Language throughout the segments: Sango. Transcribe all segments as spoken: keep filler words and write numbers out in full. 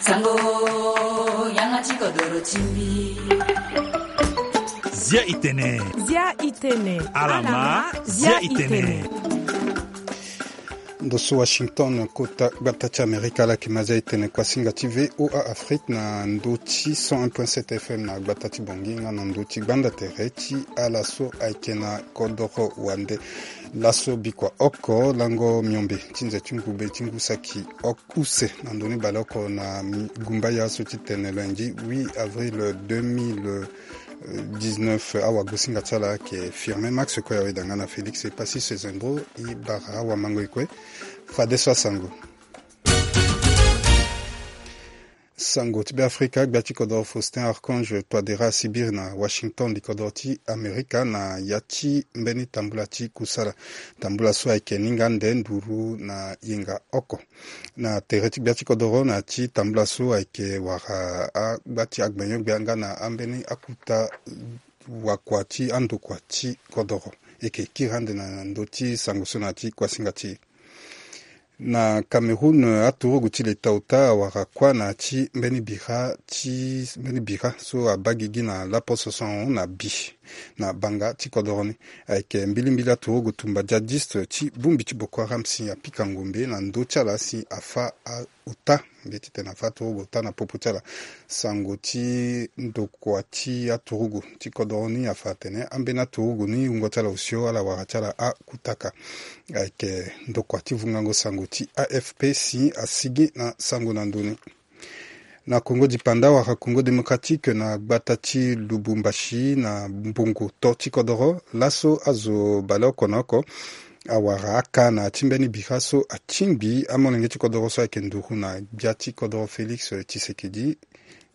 Sango, yanga ti kodoro ti mbi. Zia itene. Zia itene. Alama, zia itene. Ndo so Washington, kota gbata ti Amerika, ala yeke ma zia itene kuasinga ti V O A Afrique na ndo ti cent un point sept F M na gbata ti Bangui nga na ndo ti gbanda tere ti ala so ayeke na kodoro wande. Laso bikua oko lango miombe ti nze ti ngube ti ngu saki oko use na ndoni baleoko na mi- gumbaya so ti tene lundi huit avril deux mille dix-neuf. Awagosinga ti ala ayeke Firmin Max Koya, weda nga na Félix Epassi Sezembro. E bara awamango e kue. Fadeso asango. Sango ti Beafrika, gbia ti kodoro Faustin Archange Touadéra asibiri na Washington, likodoro ti Amerika, na ya ti mbeni tambula ti kusala. Tambula so ayeke ninga nde nduru na yenga oko. Na tere ti gbia ti kodoro na ya ti tambula so ayeke wara agba ti agbenyo-gbia nga na ambeni akuta wakua ti andokua ti kodoro. E yeke kiri ande na ndö ti sango so na ya ti kuasinga ti e. Na Cameroun, aturugu ti leta ota awara kuâ na ya ti mbeni bira ti mbeni bira so abaa gigi na laposo so ahon na bi na banga ti kodoro ni. Ayeke mbilimbili aturugu tumba djihadiste ti bongbi ti Boko Haram si apika ngombe na ndö ti ala si afâ a- ota, mbi ye titene afâ aturugu ota na popo ti ala. Sango ti ndokua ti aturugu ti kodoro ni afa atene ambeni aturugu ni wungo ti ala osio, ala wara ti ala akutaka. Ayeke ndokua ti vungango sango ti A F P si asigi na sango na ndö ni. Na Congo dipanda wala Congo Démocratique, na gbata ti Lubumbashi, na mbongo to ti kodoro, laso azo baleoko na oko awara aka na ya ti mbeni bira so atingbi amolenge ti kodoro so ayeke nduru na gbia ti kodoro Félix Tshisekedi,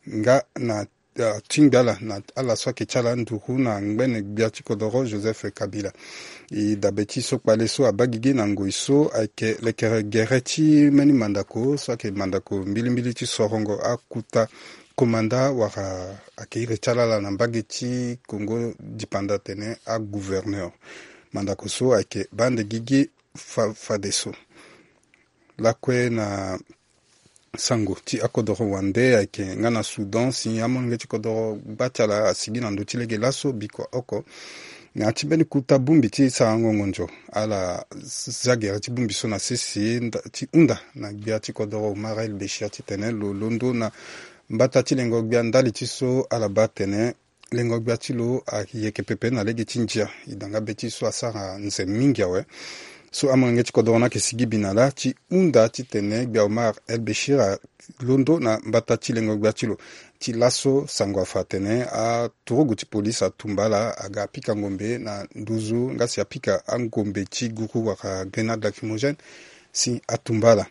nga na, ah, tingbi ala na ala so ayeke ti ala nduru na ngbene gbia ti kodoro Joseph Kabila. E dabe ti so kpale so abaa gigi na ngoi so ayeke lekere gere ti mbeni mandako so ayeke mandako mbilimbili ti sorongo akuta komanda wala ayeke iri ti ala ala na mbage ti Congo dipanda atene agouverneur. Mandako so ayeke baa ande gigi fa- fadeso. Lakue na sango ti akodoro wande ayeke nga na Soudan si amolenge ti kodoro gba ti ala asigi na ndö ti lege laso bikua oko na ya ti mbeni kuta bongbi ti sarango ngonzo. Ala zia gere ti bongbi so na sese nda- ti hunda na gbia ti kodoro Omar El Béchir titene lo londo na mbata ti lengo gbia ndali ti so ala baa atene lengo gbia ti lo ayeke pepe na lege ti ndia. E da nga be ti so asara nze mingi awe. So amolenge ti kodoro ni ayeke sigi bi na lâ ti hunda titene gbia Omar El Béchir alondo na mbata ti lengo gbia ti lo. Ti laso sango afa atene aturugu ti polise atumba ala, aga apika ngombe na nduzu nga si apika angombe ti guru wala grenade lacrymogène si atumba ala.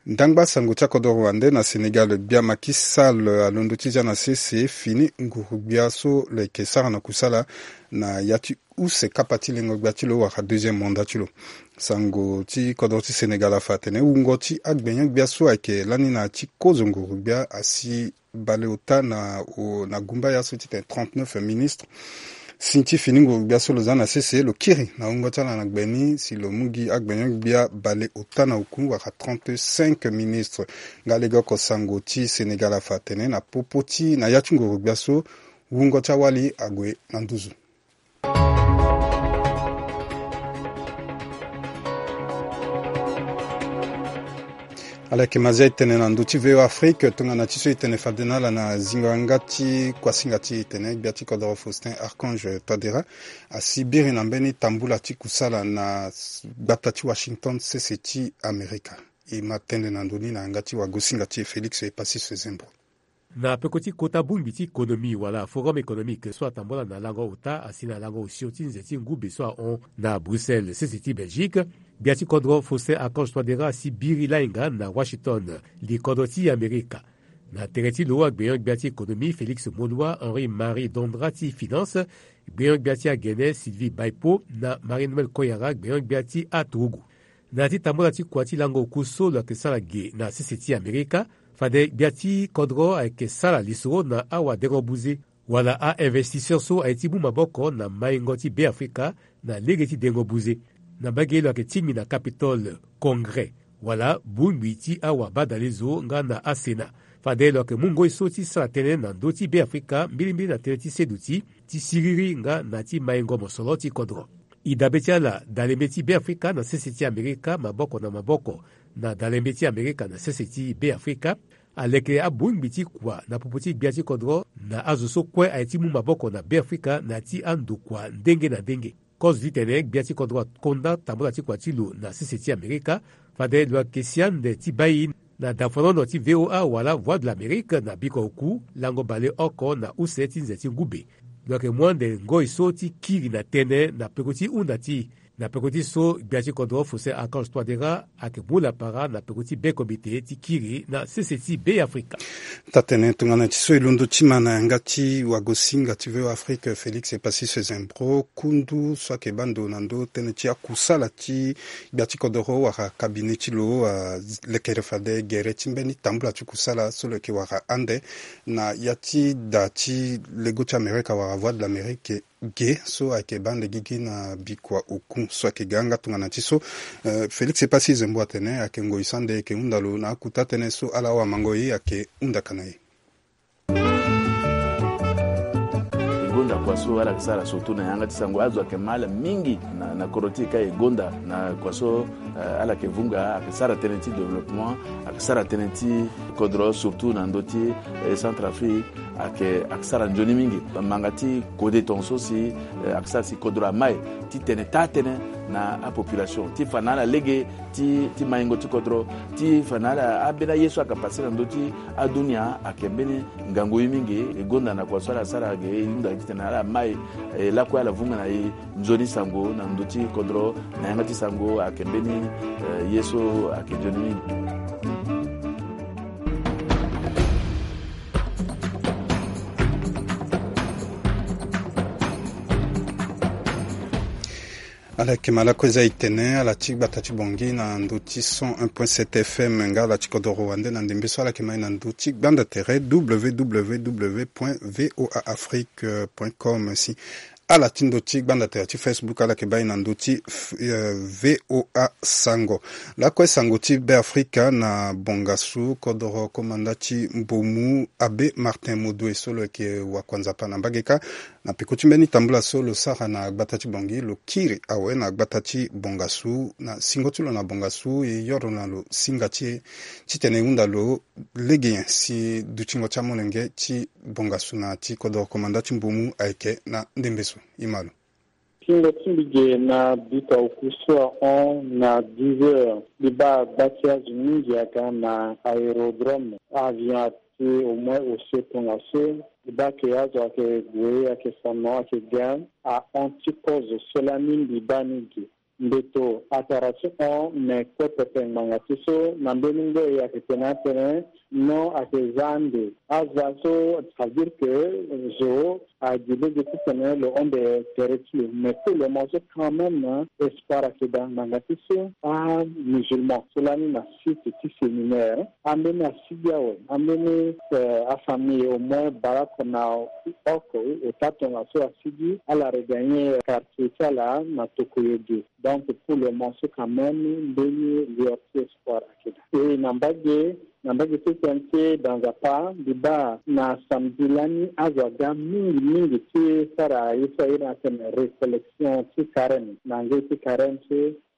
Ndangba sango ti akodoro wande na Sénégal, gbia Macky Sall alondo ti zia na sese fini nguru gbia so lo yeke sara na kusala na ya ti use kapa ti lengo gbia ti lo wala deuxième mandat ti lo. Sango ti kodoro ti Sénégal afa atene wungo ti agbenyo gbia so ayeke lani na ya ti kozo nguru gbia asi baleota na o- na gumbaya so titene trente-neuf ministres. Si ti fini nguru gbia so lo za na sese lo kiri na wungo ti ala na gbe ni si lo mu gi agbenyo gbia baleota na oku wala trente-cinq ministres. Nga lege oko sango ti Sénégal afa atene na popo ti na ya ti nguru gbia so wungo ti awali ague na nduzu. Ala yeke ma zia e tene na ndö ti V O A Afrique, tongana ti so e tene fade na ala na zingo yanga ti kuasinga ti e tene gbia ti kodoro Faustin Archange Touadéra asi biri na mbeni tambula ti kusala na s- gbata ti Washington, sese ti Amerika. E ma tënë na ndö ni na yanga ti wagosinga ti e Félix Epassi Sezembro. Na peko ti kota bongbi ti économie wala forum économique so atambola na lango ota asi na lango osio ti nze ti ngube so ahon na Bruxelles, sese ti Belgique, gbia ti kodro Faustin Archange Touadéra asi biri lahinga na Washington, likodro ti Amerika. Na tere ti lo, agbenyo-gbia ti économie Félix Moloua, Henri Marie Dondra ti finance, gbenyo-gbia ti agene Sylvie Baipo na Marie Noël Koyara, gbenyo-gbia ti aturugu. Na ya ti tambula ti kua ti lango oku so lo yeke sara ge na sese ti Amerika, fade gbia ti kodro ayeke sara lisoro na awadengo buze wala a-investisseur so aye ti mu maboko na maingo ti Beafrika na lege ti dengo buze. Na mbage lo yeke tingbi na Capitole, Congrès, wala bongbi ti awabadalezo nga na aSena. Fade lo yeke mu ngoi so ti sara tënë na ndö ti Beafrika, mbilimbili na tënë ti seduti, ti siriri nga na ti maingo mosoro ti kodro. E dabe ti ala dalembe ti Beafrika na sese ti Amerika maboko na maboko na dalembe ti Amerika na sese ti Beafrika aleke abongbi ti kua na popo ti gbia ti kodro na azo so kue aye ti mu maboko na Beafrika na ya ti andokua ndenge na ndenge. Kozo titene gbia ti kodro akonda tambula ti kua ti lo na sese ti Amerika, fade lo yeke si ande ti bai na dafanono ti V O A wala Voix de l'Amérique na bikua oku lango baleoko na use ti nze ti ngube. Lo yeke mu ande ngoi so ti kiri na tënë na peko ti hunda ti na peko ti so gbia ti kodro Faustin Archange Touadéra ayeke mu lapara na peko ti be komite ti kiri na sese ti Beafrika. Taa-tënë tongana ti so e londo ti ma na yanga ti wagosinga ti V O A Afrique, Félix Epassis Zembro, kundu so ayeke baa ndo na ndö tënë ti akusala ti gbia ti kodoro wala cabinet ti lo, ah, lekere fade gere ti mbeni tambula ti kusala so lo yeke wara ande na ya ti da ti lego ti Amerika wala Voix de l'Amérique ge so ayeke baa ande gigi na bikua oku so ayeke ga nga tongana ti so, eh, Félix Epassis Zembro atene ayeke ngoi so ande e yeke hunda lo na akuta tënë so ala awamango e ayeke hunda ka na e. E gonda kua so ala yeke sara surtout na yanga ti sango, azo ayeke ma ala mingi na, na kodro ti e ka e gonda na kua so, eh, ala yeke vunga, ayeke sara tënë ti développement, ayeke sara tënë ti kodro surtout na ndö ti, eh, Centrafrique, ayeke, ayeke sara nzoni mingi. Manga ti kode tongaso si, eh, ayeke sara si kodro amai titene taa-tënë na apopulation ti fa na ala lege ti, ti maingo ti kodro, ti fa na ala, ambeni aye so ayeke pase na ndö ti adunia ayeke mbeni ngangu ye mingi. E gonda na kua so ala sara ge, e hunda titene ala mai, eh, lakue ala vunga na e nzoni sango na ndö ti kodro, na yanga ti sango ayeke mbeni, eh, ye so ayeke nzoni mingi. Ala yeke ma lakue za e tene ala ti gbata ti Bangui na ndö ti cent un point sept F M nga ala ti kodoro wande na ndembe so ala yeke ma e na ndö ti gbanda tere W W W point V O A Afrique point com. Si ala ti ndö ti gbanda tere ti Facebook, ala yeke baa e na ndö ti, eh, V O A Sango. Lakue sango ti Beafrika na bongasu, kodoro komanda ti Mbomu Abbé Martin Modoe so lo yeke wakuanzapa na mbage kâ na peko ti mbeni tambula so lo sara na gbata ti Bangui, lo kiri awe na gbata ti bongasu. Na singo ti lo na bongasu, e yoro na lo singa ti e titene e hunda lo lege nyen si dutingo ti amolenge ti bongasu na ti kodoro komanda ti Mbomu ayeke na ndembe so. E ma lo. Tingo ti mbi ge na bika oku so ahon na dix heures, mbi baa gba ti azo mingi aga na aérodrome. Avion ati au moins osio tongaso. Mbi baa ke azo ayeke gue, ayeke fa no, ayeke ga. Ahon ti kozo so lani mbi baa ni ge. Mbeto atara ti hon, me kue pepe ngbanga ti so na mbeni ngoi ayeke tene atene non, ayeke za ande. Aza so, ça veut dire que zo agi lege titene lo hon nde tere ti lo. Mais pour le moment so quand même, espoir ayeke daa ngbanga ti so amusulman so lani na site ti séminaire, ambeni asigi awe, ambeni, eh, afamille au moins baleoko na oko, ota tongaso asigi, ala regagner quartier ti ala na tokoyo ge. Donc pour le moment so quand même mbeni lueur ti espoir ayeke daa. E na mbage, na mbage ti tene ti e da Nzapa, mbi baa na samedi lani azo aga mingi mingi ti sara ye so a iri na atene récollection ti carême. Na ngoi ti carême so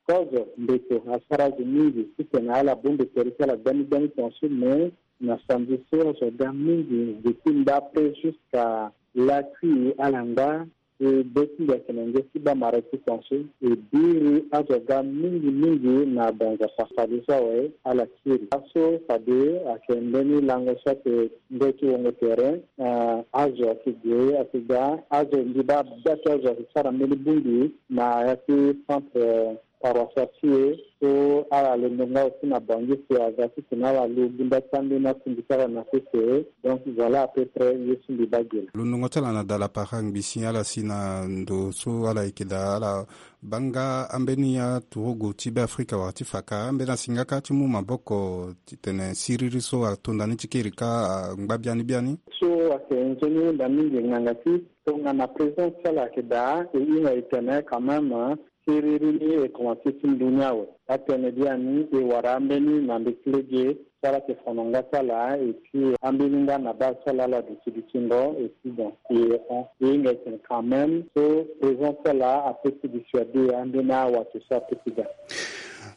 kozo mbeto asara azo mingi titene ala bongbi tere ti ala gbani gbani tongaso, mais na samedi so azo aga mingi depuis ndapre jusqu'à lakui ala ngba. E be ti mbi ayeke na nge ti baa mara ti tongaso, e biri azo aga mingi mingi na banza fafade so awe ala kiri. Laso fade ayeke mbeni lango so ayeke ngoi ti wongo tere, eh, azo ayeke gue, ayeke ga, azo mbi baa bia ti azo ayeke sara mbeni bongbi na ya ti centre, eh, paroissial ti e so ala londo nga aussi na Bangui si aga titene ala lo gunda ti ambeni akundu ti ala na sese. Donc voilà à peu près ye so mbi baa ge laa. Londongo ti ala na da lapara ngbi si ala si na ndo so ala yeke daa, ala baa nga ambeni aturugu ti Beafrika wala ti fa ka, ambeni asi nga kâ ti mu maboko titene siriri so ato ndani ti kiri kâ angba biani biani. So ayeke nzoni hunda mingi ngbanga ti tongana président ti ala ayeke daa, e hinga e tene quand même, Keriri ni e komanse ti ndu ni awe. Atene biani e wara ambeni na mbeti lege so ala yeke fa na nga ti ala, et puis ambeni nga na baa so ala ala duti dutingo, et puis bon, e e hinga e tene quand même so présence ti ala apeut ti dissuader ambeni awato so apeut ti ga.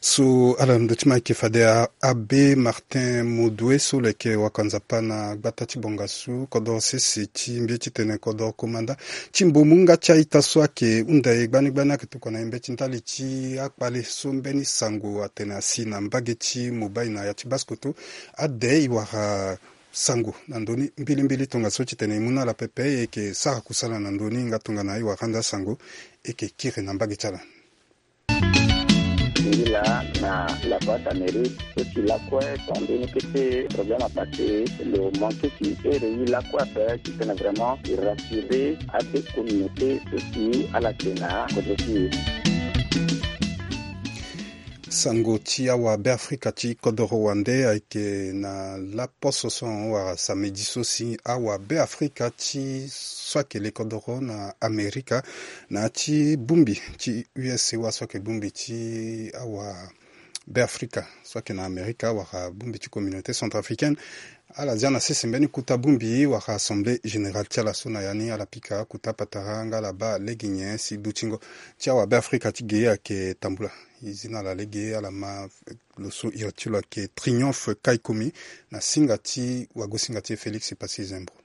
So ala ndö ti ma ayeke fade Abbé Martin Modoue so lo yeke wakanzapa na gbata ti bongasu kodoro sese ti mbi ti tene kodoro komanda ti mbomu nga ti a-ita so ayeke hunda e gbani gbani ayeke tokua na e mbeti ndali ti akpale so mbeni sango atene asi na mbage ti Mobaye na ya ti Basse-Kotto. Ade e wara sango na ndö ni mbilimbili tongaso titene e mu na ala pepe e yeke sara kusala na ndö ni nga tongana e wara ande asango e yeke kiri na mbage ti ala. Ngi laa na la Voix d'Amérique so si lakue so ande ni kete problème apassé lo manqué ti ere ye lakue ape titene vraiment e rassurer abe communauté so si ala yeke na kodro ti e. Sango ti awabe afrika ti kodoro wande ayeke na laposo so ahon wala samedi so si awabeafrika ti so ayeke le kodoro na amerika na ya ti bongbi ti U S A wa so ayeke bongbi ti awabeafrika so ayeke na amerika wala bongbi ti communauté centrafricaine. Ala zia na sese mbeni kota bongbi wala assemblée générale ti ala so na ya ni ala pika kota patara nga ala baa lege nyen si dutingo ti awabeafrika ti ge ayeke tambula. E zi na ala lege ala ma lo so iri ti lo ayeke Triomphe Kaikumi na singa ti wagosinga ti e Félix Passy Zembro.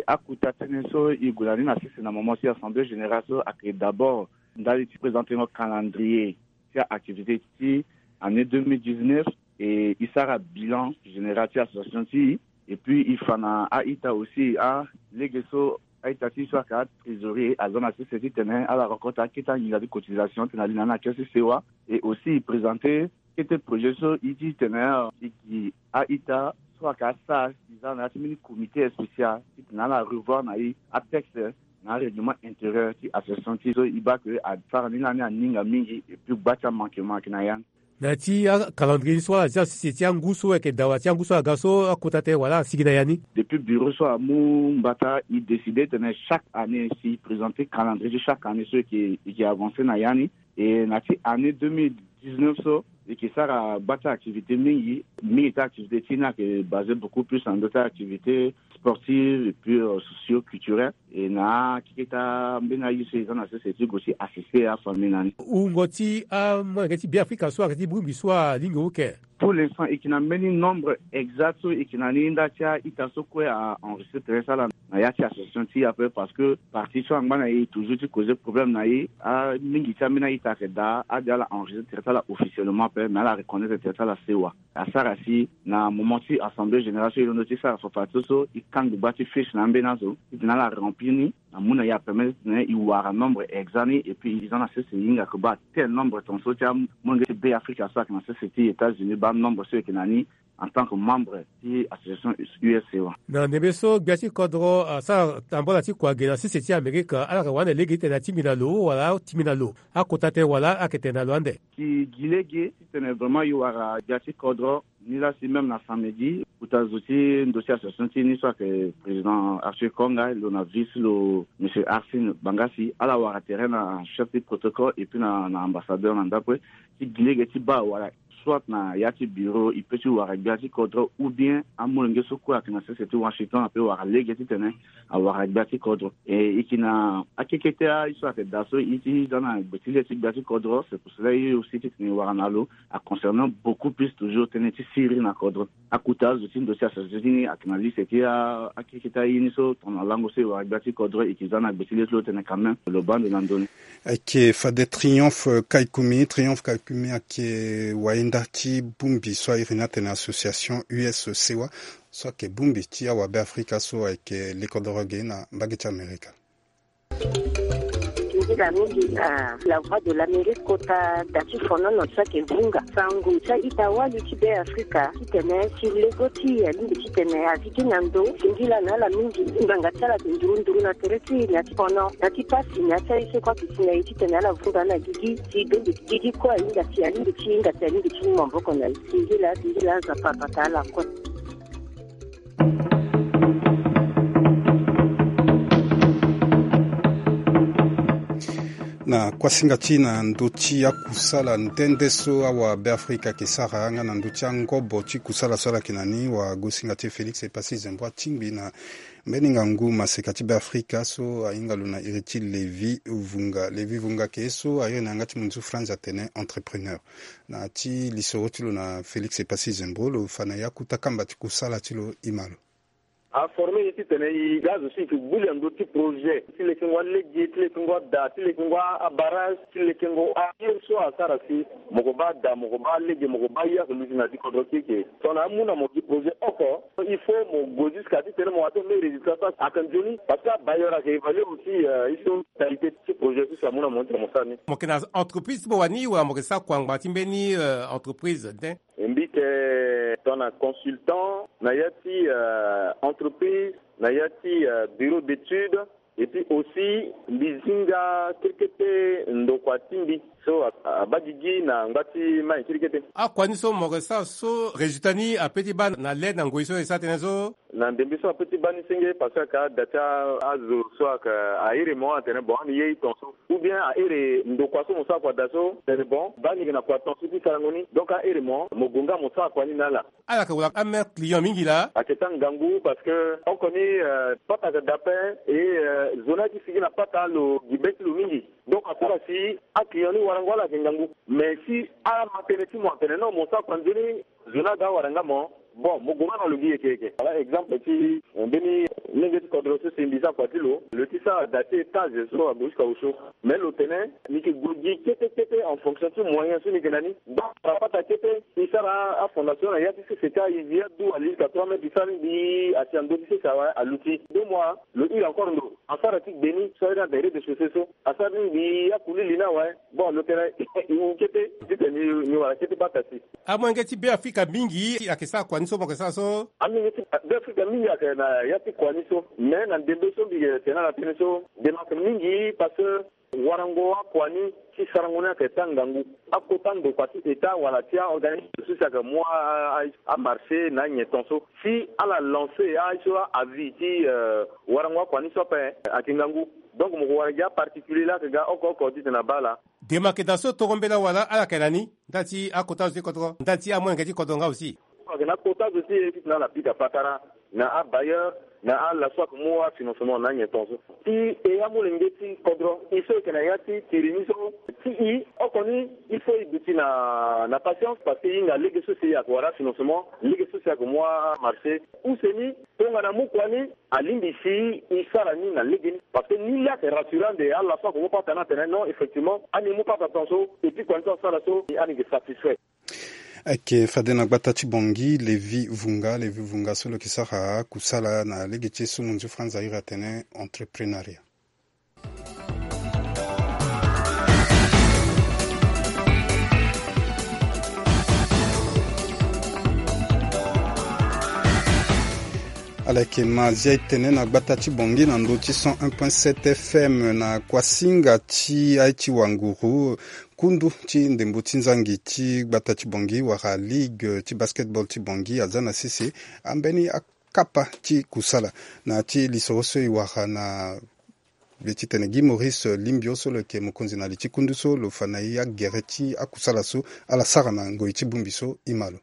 Akota tënë so e gue na ni na sese na moment ti assemblée générale so ayeke d'abord ndali ti présentengo calendrier ti a-activité ti année deux mille dix-neuf. E e sara bilan général ti association ti e. Et puis e fa na a-ita aussi a lege so a-ita ti e so ayeke atrésorier aza na sese titene ala rencontre akete anginza ti cotisation titene ali na ni na kê ti sewa. Et aussi e présenter kete projet so e ti tene e gi a-ita so ayeke asara e za na ya ti mbeni comité spécial titene ala revoir na e atexte na arèglement intérieur ti association ti e so e baa ke asara ni lani aninga mingi. Et puis gba ti amanquement ayeke na ya ni. Na ya ti acalendrier ni so ala zia sese ti angu so ayeke dawa ti angu so aga so akota tënë wala asigi na ya ni. Depuis bureau so amu mbata e décider tene chaque année si e présenter calendrier ti chaque année so e yeke e yeke avancer na ya ni. Et na ti année deux mille dix-neuf so e yeke sara gba ti activité mingi. Mingi ti activité ti e ni ayeke basé beaucoup plus na ndö ti activité sportive et puis socio-culturelle. Et na akeketa mbeni aye so e za na sese ti gue ti assister afamille na ni. Wungo ti amolenge ti Beafrika so ayeke ti bongbi so alingbi wuke. Pour l'instant e yeke na mbeni nombre exact so e yeke na ni nda ti a-ita so kue a-enregistrer tene ti ala na ya ti association ti e ape parce que parti so angba na e toujours ti causer problème na e. Amingi ti ambeni a-ita ayeke daa ade ala enregistrer tene ti ala officiellement ape mais ala reconnaître tene ti ala sewa. Asara si na moment ti assemblée générale so e londo ti sara fafa ti so e kangbi gba ti fiche na ambeni azo titene ala remplir ni. Amu na e apermettre titene e wara nombre exact ni et puis e za na sese e hinga ke baa tel nombre tongaso ti amolenge ti Beafrika so ayeke na sese ti États-Unis baa nombre so e yeke na ni en tant que membre ti association U S A wa. Na ndembe so gbia ti kodro asara tambala ti kua ge na sese ti Amerika ala yeke wande lege titene atimi na lo wala atimi na lo akota tënë wala ayeke tene na lo ande. E gi lege titene vraiment e wara gbia ti kodro. Ni laa si même na samedi kota zo ti ndo ti association ti e ni so ayeke président Arthur Konga lo na vice ti lo monsieur Arsène Bangasi ala wara tere na chef ti protocole et puis na na ambassadeur na ndapue ti gi lege ti baa wala soit na ya ti bureau e peut ti wara gbia ti kodro ou bien amolenge so kue ayeke na sese ti Washington apeut wara lege titene awara gbia ti kodro. E e yeke na akekete aye so ayeke daa so e ti za na gbe ti le ti gbia ti kodro c'est pour cela e aussi titene e wara na lo. A concernant beaucoup plus toujours tënë ti siriri na kodro. Akota azo ti ndo ti association ti ni ayeke na liste ti akekete aye ni so tongana lango so e wara gbia ti kodro e yeke za na gbe ti le ti lo tene quand même lo baa ndo na ndoni. Ayeke fade Triomphe Kaikumi. Triomphe Kaikumi ayeke wayenda ti bongbi so a iri ni atene association U S C wa so ayeke bongbi ti awabe Afrika so ayeke lekodoro ge na mbage ti Amerika. Nzila mingi na La Voix de l'Amérique kota da ti fonono so ayeke vunga sango ti a-ita wali ti Beafrika titene si lego ti e alingbi titene azi gi na ndo singila na ala mingi. Ngbanga ti ala ayeke nduru nduru na tere ti e na ya ti fono na ya ti pasi na ya ti aye so kue ayeke si na e titene ala vunga na gigi si bembe gigi kue ahinga si alingbi ti hinga si alingbi ti mu maboko na e. Singila singila Nzapa abata ala kue. Na kuasinga ti na ndö ti akusala nde nde so awa Beafrika ayeke sara nga na ndö ti angobo ti kusala so ala yeke na ni, wagosinga ti e Félix Epassi Zembro atingbi na mbeni ngangu maseka ti Beafrika so ahinga lo na iri ti Lévi Vunga. Lévi Vunga ayeke ye so a iri na yanga ti munzu Franz atene entrepreneur. Na ya ti lisoro ti lo na Félix Epassi Zembro, lo fa na e akota kamba ti kusala ti lo, e ma lo. A former e titene e ga azo so e yeke gbu li na ndö ti projet ti lekengo alege, ti lekengo ada, ti lekengo abarrage, ti lekengo aye so asara si mo ko baa ada, mo ko baa lege, mo ko baa ye ake luti na ya ti kodro ti e. Tongana amu na mo gi projet oko, il faut mo gue jusqu'à titene mo wa ti mo résultat so ayeke nzoni. Parce que abailleur ayeke évaluer aussi, euh, e so qualité ti projet so si amu na mo titene mo sara ni. Mo yeke na entreprise ti mo wani wala mo yeke sara kua ngbanga ti mbeni, euh, entreprise de? Mbi yeke tongana consultant na ya ti, euh, entreprise, na ya ti, euh, bureau d'étude, et puis aussi mbi zi nga kete kete ndokua ti mbi so a, abaa gigi na ngba ti mai kete kete. Akua ni so mo yeke sara so résultat ni ape ti baa na le na ngoi so e sara tënë so? Na ndembe so ape ti baa ni senge parce que ayeke ada ti azo so ayeke, a iri mo atene bon ani ye e tongaso. Ou bien a iri ndokua so mo sara kua daa so tene bon baa ni yeke na kua tongaso ti sarango ni. Donc a iri mo, mo gue nga mo sara kua ni na ala. Ala yeke wara amere client mingi laa? Ayeke taa ngangu parce que oko ni, euh, pata ayeke daa ape, et, euh, zo ni ayeke sigi na pata lo gi be ti lo mingi. Donc asara si aclient ni warango ala yeke ngangu. Mais si ama tënë ti mo atene non mo sara kua nzoni, zo ni aga awara nga mo. Bon, mo gue nga na lo gi yeke yeke. Voilà exemple ti, euh, mbeni lenge ti kodro so si mbi sara kua ti lo, lo ti sara da ti étage so ague jusqu'à au chaud. Mais lo tene ni yeke gue gi kete kete en fonction ti moyen so ni yeke na ni. Donc apata kete e sara afondation na ya ti sese ti ayizi adu ali jusqu'à trois mètres, e sara ni mbi asi na ndö ti sese awe aluti. Deux mois lo iri encore ndo asara ti gbe ni so ayeke na rez-de-chaussée so. Asara ni mbi akulili ni awe. Bon lo tene e wu kete titene ni wara kete bata si. Amolenge ti Beafrika mingi ayeke sara kua ni so mo yeke sara so? Amolenge ti Beafrika mingi ayeke na ya ti kua ni so. Mais na ndembe so mbi yeke tene ala tënë so, ndembe ayeke mingi parce que warango akua ni ti sarango ni ayeke taa ngangu. Akota ndokua ti état wala ti aorganisme so si ayeke mu a, a, amarché na anyen ton so si ala lancer aye so avis ti, euh, warango akua ni so ape ayeke ngangu. Donc mo ko wara gi aparticulier laa ayeke ga oko oko titene abaa ala. Dema ayeke daa so toro mbela wala ala yeke na ni ndali ti akota zo ti kodro, ndali ti amolenge ti kodro nga aussi? Ayeke na akota zo ti e titene ala pika patara na abailleur na ala so ayeke mu afinancement na anyen ton so. Si e amolenge ti kodro e so e yeke na ya ti tiri ni so, si e oko ni il faut e duti na, na patience parce que e hinga lege so si ayeke wara afinancement, lege so si ayeke mu amarché. Use ni tongana amu kua ni alingbi si e sara ni na lege ni. Parce que ni laa ayeke rassurant ande ala so ayeke mu pata ni atene non effectivement ani mu pata ton so et puis kua ni so asara so ani yeke satisfait. Ayeke fade na gbata ti Bangui, Lévi Vunga, Lévi Vunga so lo yeke sara kusala na lege ti e so munzu Franz a iri atene entrepreneuriat. Ala yeke ma zia e tene na gbata ti Bangui na ndö ti cent un point sept F M na kuasinga ti aye ti wanguru. Kundu ti ndembo ti nzangi ti gbata ti Bangui wala ligue ti basketball ti Bangui aza na sese ambeni akapa ti kusala na ti lisoro so e wara na be ti tene Guy Maurice Limbio so lo yeke mokonzi na li ti kundu so lo fa na e agere ti akusala so ala sara na ngoi ti bongbi so. E ma lo.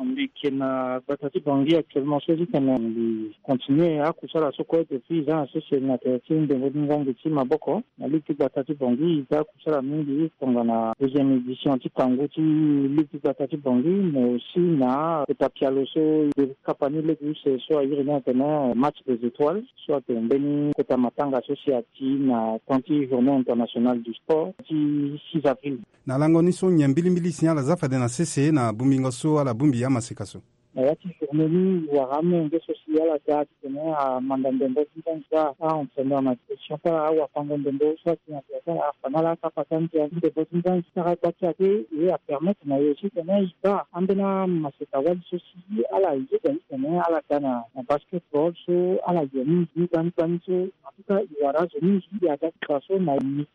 Mbi yeke na gbata ti Bangui actuellement so ti tene mbi continue akusala so kue depuis e za na sese na tere ti ndembo ti nzangi ti maboko. Na ligue ti gbata ti Bangui e za kusala mingi tongana deuxième édition ti kangu ti ligue ti gbata ti Bangui, mais aussi na kota pialo so e kapa ni lege use so a iri ni atene match des étoiles so ayeke mbeni kota matanga so si ati na temps ti journée internationale du sport ti six avril. Na lango ni so nyen mbilimbili si ala za fade na sese na bongbingo so ala bongbi amaseka so? Na ya ti journée ni e wara amolenge so si ala ga titene amanda ndembo ti nzangi, a-entraîneur na direction ti ala, awafango ndembo so ati na tere ti ala afa na ala akapa ti andia ti ndembo ti nzangi. Sara gba ti ake e apermettre na e aussi titene e baa ambeni amaseka wali so si ala yeda titene ala ga na, na basketball so ala ye mingi ni gbani gbani so. En tout cas e wara azo mingi e aga ti fa so na midi.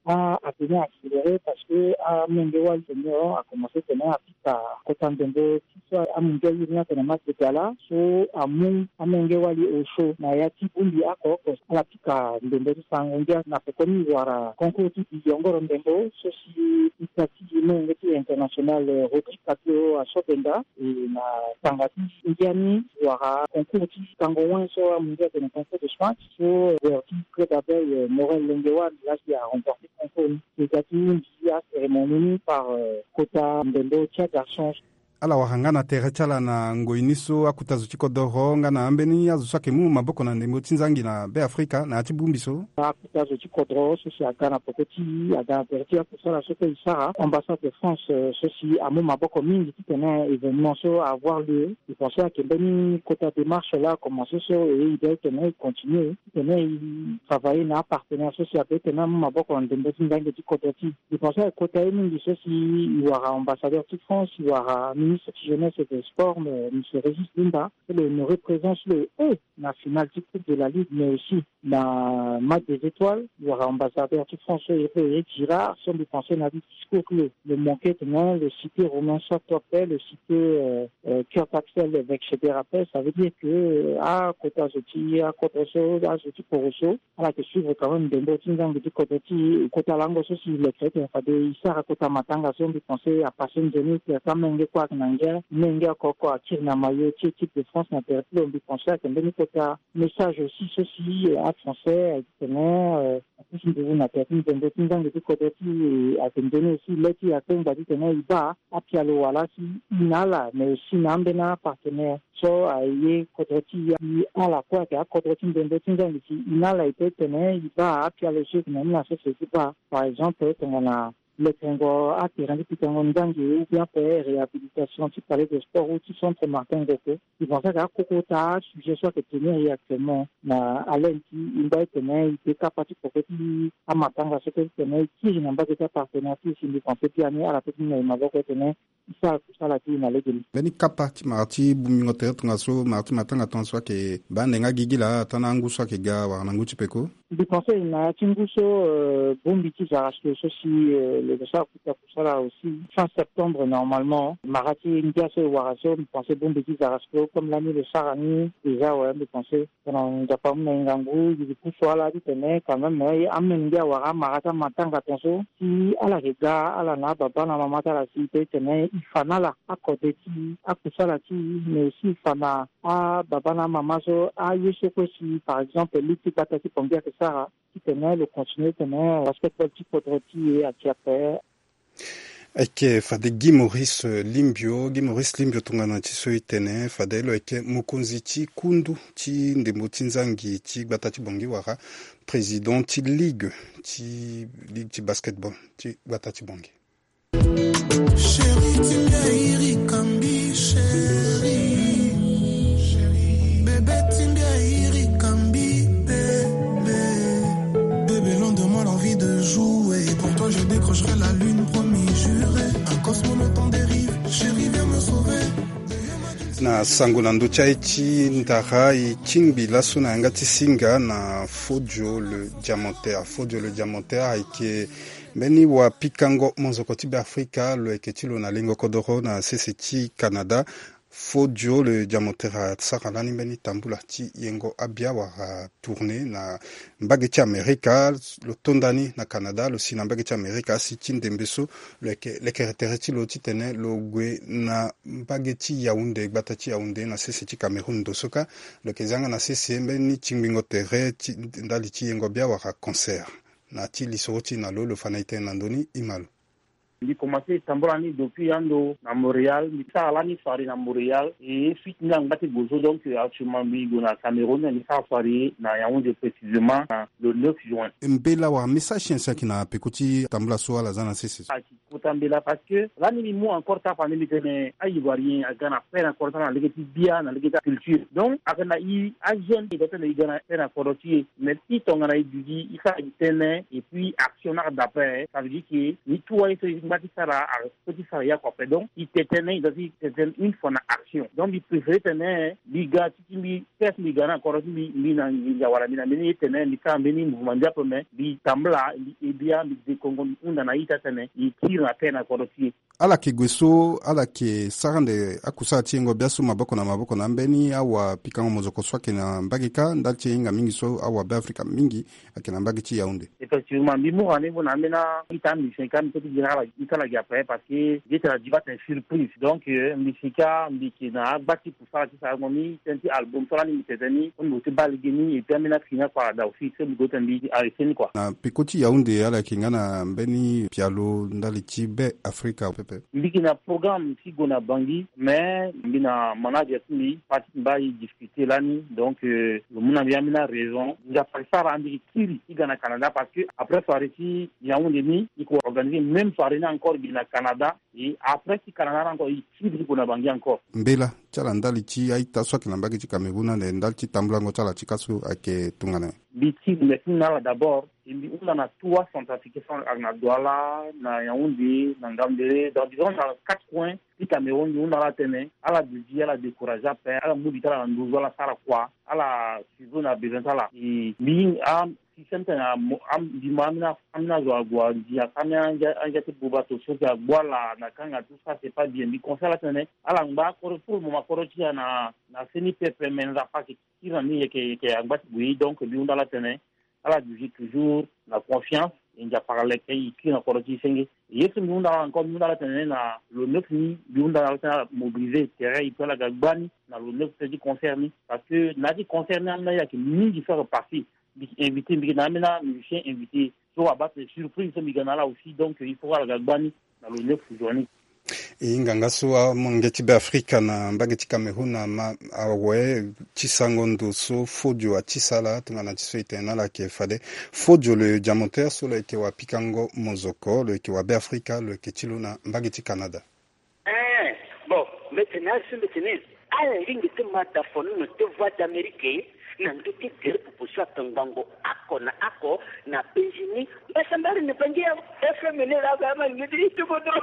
A, atene accéléré parce que amolenge wali tene a commencé tene apika kota ndembo ti so amungia iri ni atene match de gala so amu amenge wali osio na ya ti bongbi oko oko. Ala pika ndembo ti sango ngia na peko ni wala concours ti biyongoro ndembo so si ita ti molenge ti international Rodrigue Capio asobenda e na tanga ti ngia ni wala concours ti kango wen so amungia atene concours de smash so joueur ti club Abeille Morel Lengewan laa si aremporte concours ni. Ita ti mbi acérémonie ni par kota ndembo ti agarçon. Ala wara nga na tere ti ala na ngoi ni so akota zo ti kodoro nga na ambeni azo so ayeke mu maboko na ndembo ti nzangi na Beafrika na ya ti bongbi so. Akota zo ti kodoro so si aga na peko ti aga na tere ti akusala so kue e sara ambassade de France so si amu maboko mingi titene événement so avoir lieu. E pense ayeke mbeni kota démarche laa akomanse so e e be titene e continue titene e travailler na apartenaire so si abe titene amu maboko na ndembo ti nzangi ti kodro ti e. E pense ayeke kota ye mingi so si e wara ambassadeur ti France, e wara ministre ti jeunesse et de sport, monsieur Régis Lunda, so lo honoré présence lo e na finale ti coupe de la ligue mais aussi na match des étoiles. E wara ambassadeur ti France so e pe Eric Girard so mbi pense na discours ti lo, lo manqué titene lo cité Romain Sot ape, lo cité Kurt Axel Vexeter ape. Ça veut dire que akota zo ti akodro so, azo ti koro so, ala yeke suivre quand même ndembo ti nzangi ti kodro ti e. Kota lango so si e leke titene fade e sara kota matanga so mbi pense apasse nzoni ti amenge kue ayeke na ngia, menge oko oko akiri na maillot ti équipe de France na tere ti lo. Mbi pense ayeke mbeni kota message aussi so si afrançais ayeke titene apusu nduzu na tere ti ndembo ti nzangi ti kodro ti e. Ayeke nzoni aussi le ti e akpengba titene e baa apialo wala si e na ala mais aussi na ambeni apartenaire so aye kodro ti e. Ala kue ayeke akodro ti ndembo ti nzangi si e na ala e pe tene e baa apialo so e yeke na ni na sese ti baa, par exemple tongana lekengo aterrain ti pikango nzangi ou bien ape réhabilitation ti palais de sport ou ti centre Martin Ngogo. E pense ayeke akoko ota asujet so ayeke tenir e actuellement na haleine ti e ngba titene e pe kapa ti poko ti amatanga so kue titene e kiri na mbage ti apartenaire ti e si mbi pense biani ala pe ti mu na e maboko titene e sara kusala ti e na legeni. Mbeni kapa ti mara ti bongbingo tere tongaso, mara ti matanga tongaso ayeke baa ande nga gigi laa ata na angu so ayeke ga wala na ngu ti peko. Mbi pense na ya ti ngu so bongbi ti Zarasco so si lo sara kota kusala aussi fin septembre normalement. Mara ti ngia so e wara so mbi pense bongbi ti Zarasco comme lani lo sara ni déjà awe. Mbi pense tongana Nzapa amu na e ngangu e pusu ala titene quand même amolenge awara amara ti amatanga tongaso si ala yeke ga ala na ababa na amama ti ala si e pe titene e fa na ala akode ti akusala ti e mais aussi e fa na ababa na amama so aye so kue si par exemple ligue ti gbata ti Bangui ayeke sara titene lo continue titene basketball ti kodro ti e ati ape. Ayeke fade Guy Maurice Limbio, Guy Maurice Limbio tongana ti so e tene fade lo yeke mokonzi ti kundu ti ndembo ti nzangi ti gbata ti Bangui wala président ti ligue ti ligue ti basketball ti gbata ti Bangui. Chérie, ti mbi airi kambi, chérie. Bébé, ti mbi airi kambi, bébé. Bébé, loin de moi l'envie de jouer. Pour toi, je décrocherai la lune, promis, juré. Un cosmonaute en dérive, chérie, viens me sauver. Na sango na ndö ti aye ti ndara e tingbi laso na yanga ti singa na Fodio le Diamantaire. Fodio le Diamantaire ayeke mbeni wapikango monzoko ti Beafrika, lo yeke ti lo na lengo kodoro na sese ti Canada. Fodio le Diamantaire asara lani mbeni tambula ti yengo abia wala tournée na mbage ti Amerika. Lo tonda ni na Canada, lo si na mbage ti Amerika asi ti ndembe so lo yeke lekere tere ti lo titene lo gue na mbage ti Yaoundé, gbata ti Yaoundé na sese ti Cameroun. Ndo so kâ lo yeke zia nga na sese mbeni tingbingo tere ti ndali ti yengo bia wala concert. Na ti lisoro ti e na lo, lo fa na e tënë na ndö ni, e ma lo. Mbi komanse tambula ni depuis ando na Montréal. Mbi sara lani soirée na Montréal. Et suite ni angba ti gue so, donc actuellement mbi gue na Cameroun, mbi sara soirée na Yaoundé, précisément na le neuf juin. Mbela wala message ti nyen si ayeke na peko ti tambula so ala za na sese so? Ayeke kota mbela parce que lani mbi mu encore ti afande, mbi tene a-Ivoirien aga na peine encore ti ala na lege ti bia, na lege ti aculture. Donc ayeke na e ajeune, e doit tene e ga na peine na kodro ti e. Mais si tongana e duti e sara gi tënë et puis action ni aga d'après, ça veut dire que ni tout aye so e Ti sara a, ti sara ya kua ape. Donc i tene tënë, i doit ti tene tënë une fois na action. Donc mbi préféré tene mbi ga ti ti mbi, test mbi ga na kodro ti mbi, mbi na nginza wala mbi na mbeni ye tene mbi sara mbeni mouvement ndia ape, me mbi tambula, mbi ebia, mbi dekongo, mbi hunda na ita tene i kiri na terre na kodro ti e. Ala yeke gue so, ala yeke sara ande akusala ti yengo biaso maboko na maboko na ambeni awapikango mozoko so ayeke na mbage kâ ndali ti e hinga mingi so awabeafrika mingi ayeke na mbage ti Yaoundé. Effectivement, mbi mu rendez-vous na ambeni a-ita amusicien kâ, mbi kue ti gi na ala, mbi ti ala gi ape parce que mbi ti ala gi bate surprise. Donc euh, mbi si kâ mbi yeke na agba ti kusala ti sarango ni, tënë ti album so lani mbi tene ni, so mbi gue ti baa lege ni, et puis ambeni afini akua ada aussi, so mbi gue ti tene mbi arrêté ni kua. Na peko ti Yaoundé ala yeke nga na mbeni pialo ndali ti Be Afrika pepe? Mbi yeke na programme ti gue na Bangui, mais mbi na manager ti mbi, parti ti mbi aye discuter lani, donc euh, lo mu na mbi ambeni araison. Nzapa asara mbi yeke kiri ti ga na Canada parce que après soirée ti Yaoundé ni, i ko organiser même soirée ni encore gi na Canada. Et après ti Canada ni encore, i kiri ti gue na Bangui encore. Mbela ti ala ndali ti a-ita so ayeke na mbage ti Cameroun ande ndali ti tambulango ti ala ti ka so ayeke tongana nyen? Mbi ti remercie na ala d'abord. E mbi hunda na trois centrafricains so ayeke na Douala, na Yaoundé, na Ngaoundéré, donc disons na quatre coins ti Cameroun. Mbi hunda ala tene ala duti, ala décourager ape, ala mu li ti ala na nduzu, ala sara kua, ala suivre na besoin ti ala. E mbi a système tene a mo, a mbi mo ambeni, ambeni azo ague andia, ambeni andia, andia ti buba to so si agbu ala na kanga, tout ça c'est pas bien. Mbi conseil ala tene ala ngba kodro, pour le moment kodro ti ala na, na seni pepe, me Nzapa ayeke kiri na ni, yeke, yeke angba ti gue. Donc mbi hunda ala tene ala duti toujours na confiance, e Nzapa aleke e kiri na kodro ti e senge. Ye so mbi hunda ala encore, mbi hunda ala tene na lo neuf ni, mbi hunda ala tene ala mobiliser terrain, et puis ala ga gba ni na lo neuf ti concert ni, parce que na ya ti concert ni ambeni aye ayeke mingi so ayeke passé. Mbi invité, mbi yeke na ambeni amusicien invité so abaa tene surprise so mbi ga na ala aussi, donc il faut ala ga gba ni na lo neuf journée. E hinga nga so amonge ti Be Afrika na mbage ti Cameroun ama awe ti sango ndo so Fodio atisa ala tongana ti so e tene na ala ayeke fade. Fodio lo diamantaire so lo yeke wapikango mozoko, lo yeke wa Be Afrika, lo yeke ti lo na mbage ti Canada. Eh, bon, mbi tene asi mbi tene ala ringi ti mata fono na te Voix d'Amérique na ndö ti gere popo so atongbango oko na oko na penzi ni. Mbasambari na Bangi ya F M ni la ba ma ni di tu kodro.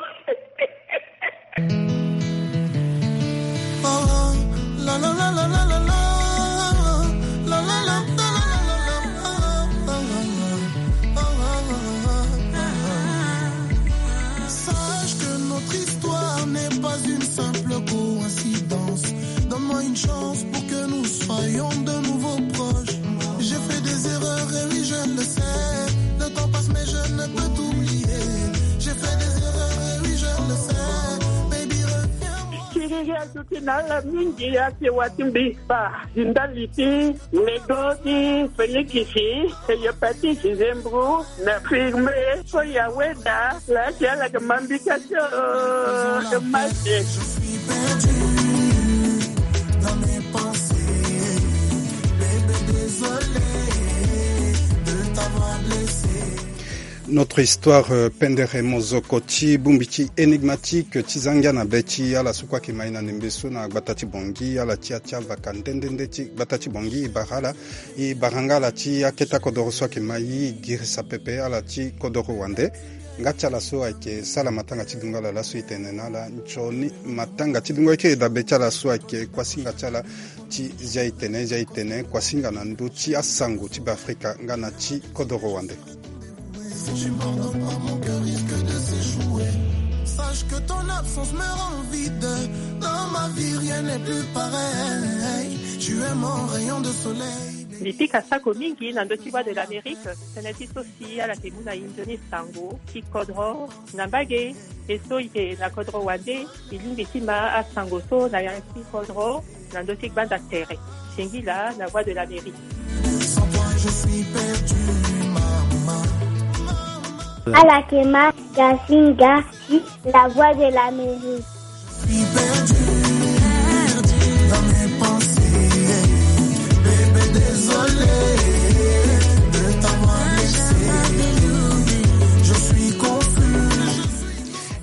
Sache que notre histoire n'est pas une simple coïncidence. Donne-moi une chance pour que nous soyons de nouveau proches. J'ai fait des erreurs, et oui, je le sais. Le temps passe, mais je ne peux t'oublier. J'ai fait des erreurs, et oui, je le sais. Baby, reviens-moi. Kiriri aduti na ala mingi, ake wa ti mbi ba ndali ti Medo ti Félix, Hépatite, Zembro, na Firme, so ya weda la ti ala ke mambika tio, ke mate. Je suis perdu dans mes pensées. Bébé, désolé de t'avoir blessé. Notre histoire, euh, pendere mozoko ti bongbi ti énigmatique ti zangia na be ti ala so kue ayeke mai na ndembe so na gbata ti Bangui, ala ti atia vaka nde nde nde ti gbata ti Bangui, e bara ala. E bara nga ala ti akete akodoro so ayeke mai, e girisa pepe ala ti kodoro wande. Nga ti ala so ayeke sala matanga ti dungo ala laso, e tene na ala nzoni matanga ti dungo. E kiri dabe ti ala so ayeke kuasinga ti ala ti zia e tene, zia e tene kuasinga na ndö ti asango ti Beafrika nga na ti kodoro wande. Si tu me pardonnes pas, mon cœur risque de s'échouer. Sache que ton absence me rend vide. Dans ma vie, rien n'est plus pareil. Tu es mon rayon de soleil. Mbi pika sako mingi na ndö ti Voix de l'Amérique, tënë ti so si ala yeke mu na e nzoni sango ti kodro na mbage. E so e yeke na kodro wande, e lingbi ti ma asango so na ya ti kodro na ndö ti gbanda tere. Singila na Voix de l'Amérique. Sans toi, je suis perdu, maman. Ala yeke ma Gasinga ti La Voix de l'Amérique. Je suis perdu dans mes pensées. Bébé, désolé de t'avoir laissé. Je suis confus.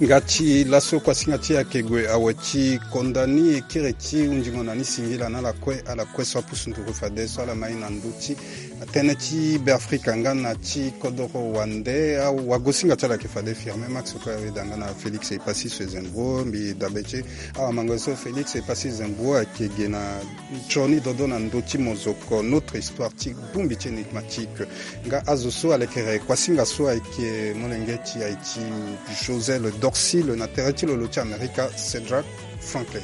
Nga ti laso kuasinga ti e ayeke gue awe ti konda ni. E kiri ti hunzingo na ni singila na ala kue, ala kue so apusu nduru fadeso ala mai na ndö ti Tënë ti Beafrika nga na ti kodoro wande, awagosinga ti ala ayeke fade Firmin Max, kue awe da nga na Félix Epassis Zembour, mbi dabe ti e. Awamango so Félix Epassis Zembour ayeke ge na nzoni dodo na ndö ti mozoko, notre histoire ti bongbi ti énigmatique. Nga azo so alekere kuasinga so ayeke molenge ti Haïti, José le Dorcile, na tere ti lo lo ti Amerika, Cédric Franklin.